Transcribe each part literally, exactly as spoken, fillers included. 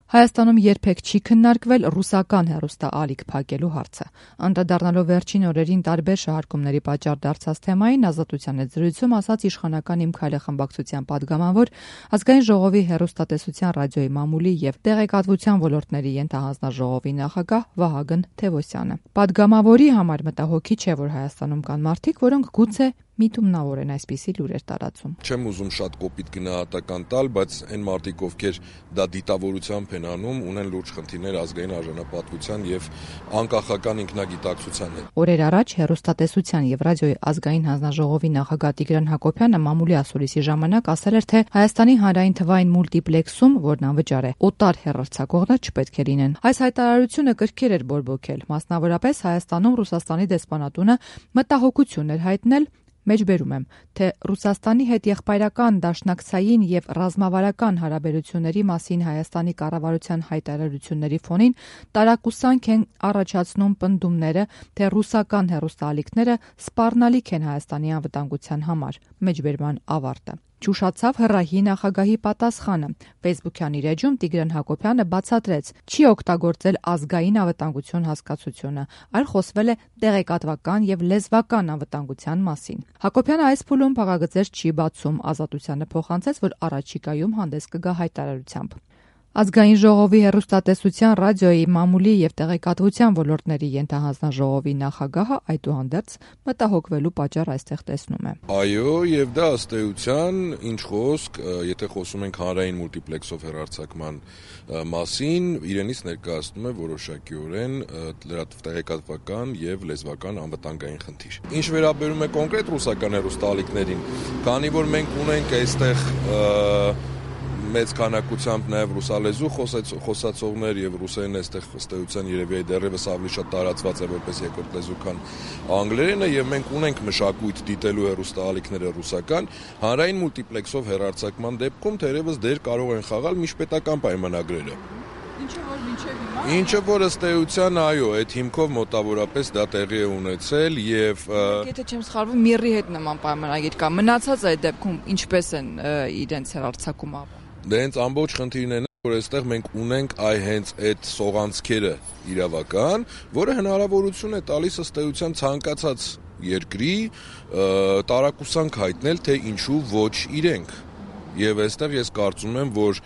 Հայաստանում երբեք չի քննարկվել ռուսական հեռուստաալիք փակելու հարցը։ Անդրադառնալով վերջին օրերին տարբեր շահարկումների պատճառ դարձած թեմային, Ազատության հետ զրույցում ասաց իշխանական Իմ քայլը խմբակցության պատգամավոր, Ազգային ժողովի հեռուստատեսության, ռադիոյի մամուլի եւ տեղեկատվության ոլորտների ենթահանձնաժողովի նախագահ Վահագն Թևոսյանը։ Պատգամավորի համար մտահոգիչ չէ, որ Հայաստանում կան մարդիկ, որոնք գուցե միտումնավոր են այսպիսի լուրեր տարածում։ Չեմ ուզում շատ կոպիտ գնահատական տալ, բայց այն մարդիկ, ովքեր դա դիտավորությամբ են անում, ունեն լուրջ խնդիրներ ազգային արժանապատվության եւ անկախական ինքնագիտակցության հետ։ Օրեր առաջ հեռուստատեսության եւ ռադիոյի ազգային հանձնաժողովի նախագահ Տիգրան Հակոբյանը մամուլի ասուլիսի ժամանակ ասել էր, թե Հայաստանի հանրային թվային մուլտիպլեքսում, որն անվճար է, օտար հեռարձակողներ չպետք է լինեն։ Այս հայտարարությունը կրկիր էր բորբոքել, մասնավորապես Հայաստանում Ռուսաստանի դեսպանատունը մտահոգություն էր հայտնել, մեջբերում եմ, թե Ռուսաստանի հետ եղբայրական, դաշնակցային եւ ռազմավարական հարաբերությունների մասին Հայաստանի կառավարության հայտարարությունների ֆոնին տարակուսանք են առաջացնում պնդումները, թե ռուսական հեռուստաալիքները սպառնալիք են Հայաստանի անվտանգության համար։ Մեջբերման ավարտը։ Ճուշացավ հրահի նախագահի պատասխանը։ Ֆեյսբուքյան իր էջում Տիգրան Հակոբյանը բացատրեց, չի օգտագործել ազգային անվտանգություն հասկացությունը, այլ խոսվել է տեղեկատվական եւ լեզվական անվտանգության մասին։ Հակոբյանը այս փուլում փակագծեր չի բացում, Ազատությանը փոխանցեց, որ առաջիկայում հանդես կգա հայտարարությամբ։ Ազգային ժողովի հեռուստատեսության, ռադիոյի, մամուլի եւ տեղեկատվության ոլորտների ենթահանձնաժողովի նախագահը այդուհանդերձ մտահոգվելու պատճառ այստեղ տեսնում է։ Այո, եւ դա ըստ էության, ինչ խոսք, եթե խոսում ենք հանրային մուլտիպլեքսով հեռարձակման մասին, իրենից ներկայացնում է որոշակիորեն տեղեկատվական եւ լեզվական անվտանգային խնդիր։ Ինչ վերաբերում է կոնկրետ ռուսական հեռուստաալիքներին, քանի որ մենք ունենք այստեղ մեծ քանակությամբ նաև ռուսալեզու խոսացողներ եւ ռուսերեն այստեղ ըստ էության երևի դեռևս ավելի շատ տարածված է որպես երկրորդ լեզու, քան անգլերենը, եւ մենք ունենք մշակույթ դիտելու հեռուստաալիքները ռուսական, հանրային մուլտիպլեքսով հեռարձակման դեպքում թերևս դեր կարող են խաղալ միջպետական պայմանագրերը։ Ինչը որ մինչև հիմա Ինչը որ ըստ էության, այո, այդ հիմքով մոտավորապես դա տեղի է ունեցել եւ Եթե չեմ սխալվում, Միրի հետ նման պայմանագիր կա։ Մնացած այդ դեպքում ինչպես են իրենց հեռարձակում ապա։ Դե հենց ամբողջ խնդիրն է, որ այստեղ մենք ունենք այ հենց այդ սողանցքերը իրավական, որը հնարավորություն է տալիս ըստ էության ցանկացած երկրի տարակուսանք հայտնել, թե ինչու ոչ իրենք։ Եվ այստեղ ես կարծում եմ, որ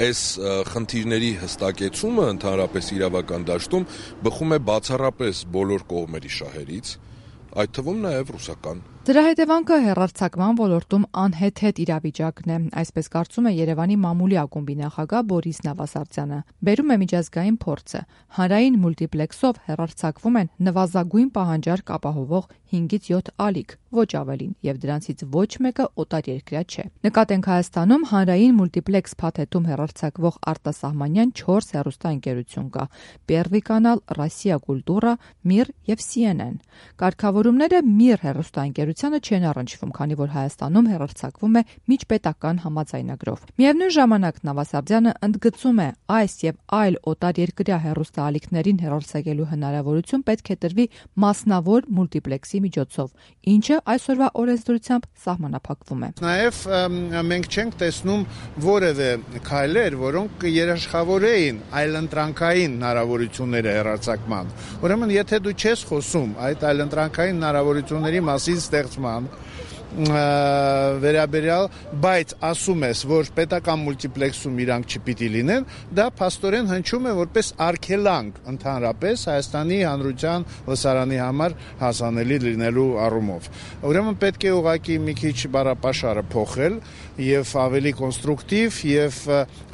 այս խնդիրների հստակեցումը ընդհանրապես իրավական դաշտում բխում է բացառապես բոլոր կողմերի շահերից, այդ թվում նաև ռուսական։ Դրա հետևանքը հեռարձակման ոլորտում անհեթեթ իրավիճակն է, այսպես կարծում է Երևանի մամուլի ակումբի նախագահ Բորիս Նավասարդյանը։ Բերում է միջազգային փորձը։ Հանրային մուլտիպլեքսով հեռարձակվում են նվազագույն պահանջարկ ապահովող հինգից յոթ ալիք, ոչ ավելին, եւ դրանցից ոչ մեկը օտարերկրյա չէ։ Նկատենք Հայաստանում հանրային մուլտիպլեքս փաթեթում հեռարձակվող արտասահմանյան չորս հեռուստաընկերություն կա՝ Պերվի կանալ, Ռոսիա Կուլտուրա, Միր եւ Սի Են Են։ Կարգավորումները Միր հեռուստաընկերությանը չեն առնչվում, քանի որ Հայաստանում հեռարձակվում է միջպետական համաձայնագրով։ Միևնույն ժամանակ Նավասարդյանը ընդգծում է, այս եւ այլ օտարերկրյա հեռուստաալիքներին հեռարձակելու հնարավորություն պետք է տրվի մասնավոր մուլտիպլեքսի միջոցով, ինչը այսօրվա օրենսդրությամբ սահմանափակվում է։ Նաև մենք չենք տեսնում որևէ քայլեր, որոնք երաշխավորեին այլընտրանքային հնարավորությունները հեռարձակման։ Ուրեմն, եթե դու չես խոսում այդ այլընտրանքային հնարավորությունների մասին ստեղծման վերաբերյալ, բայց ասում ես, որ պետական մուլտիպլեքսում իրանք չպիտի լինեն, դա փաստորեն հնչում է որպես արգելանք ընդհանրապես Հայաստանի հանրության լսարանի համար հասանելի լինելու առումով։ Ուրեմն պետք է ուղղակի մի քիչ բառապաշարը փոխել եւ ավելի կոնստրուկտիվ եւ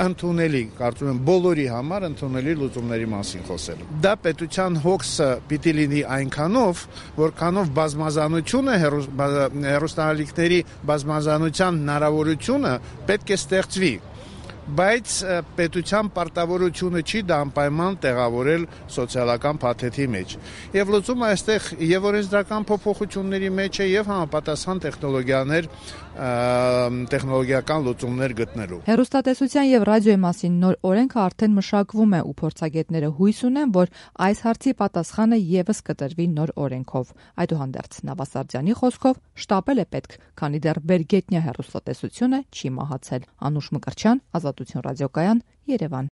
ընդունելի, կարծում եմ բոլորի համար ընդունելի լուծումների մասին խոսել։ Դա պետության հոգսը պիտի լինի այնքանով, որքանով բազմազանությունը հեռուստաալիքների բազմազանության հնարավորությունը պետք է ստեղծվի, բայց պետության պարտավորությունը չի դա անպայման տեղավորել սոցիալական փաթեթի մեջ։ Եվ լուծումը այստեղ եւ օրենսդրական փոփոխությունների մեջ է եւ համապատասխան տեխնոլոգիաներ, տեխնոլոգիական լուծումներ գտնելու։ Հեռուստատեսության եւ ռադիոյի մասին նոր օրենքը արդեն մշակվում է ու փորձագետները հույս ունեն, որ այս հարցի պատասխանը եւս կտրվի նոր օրենքով։ Այդուհանդերձ Նավասարդյանի խոսքով շտապել է պետք, քանի դեռ բերգետնյա հեռուստատեսությունը չի մահացել։ Անուշ Մկրտչյան, Ազատություն ռադիոկայան, Երևան։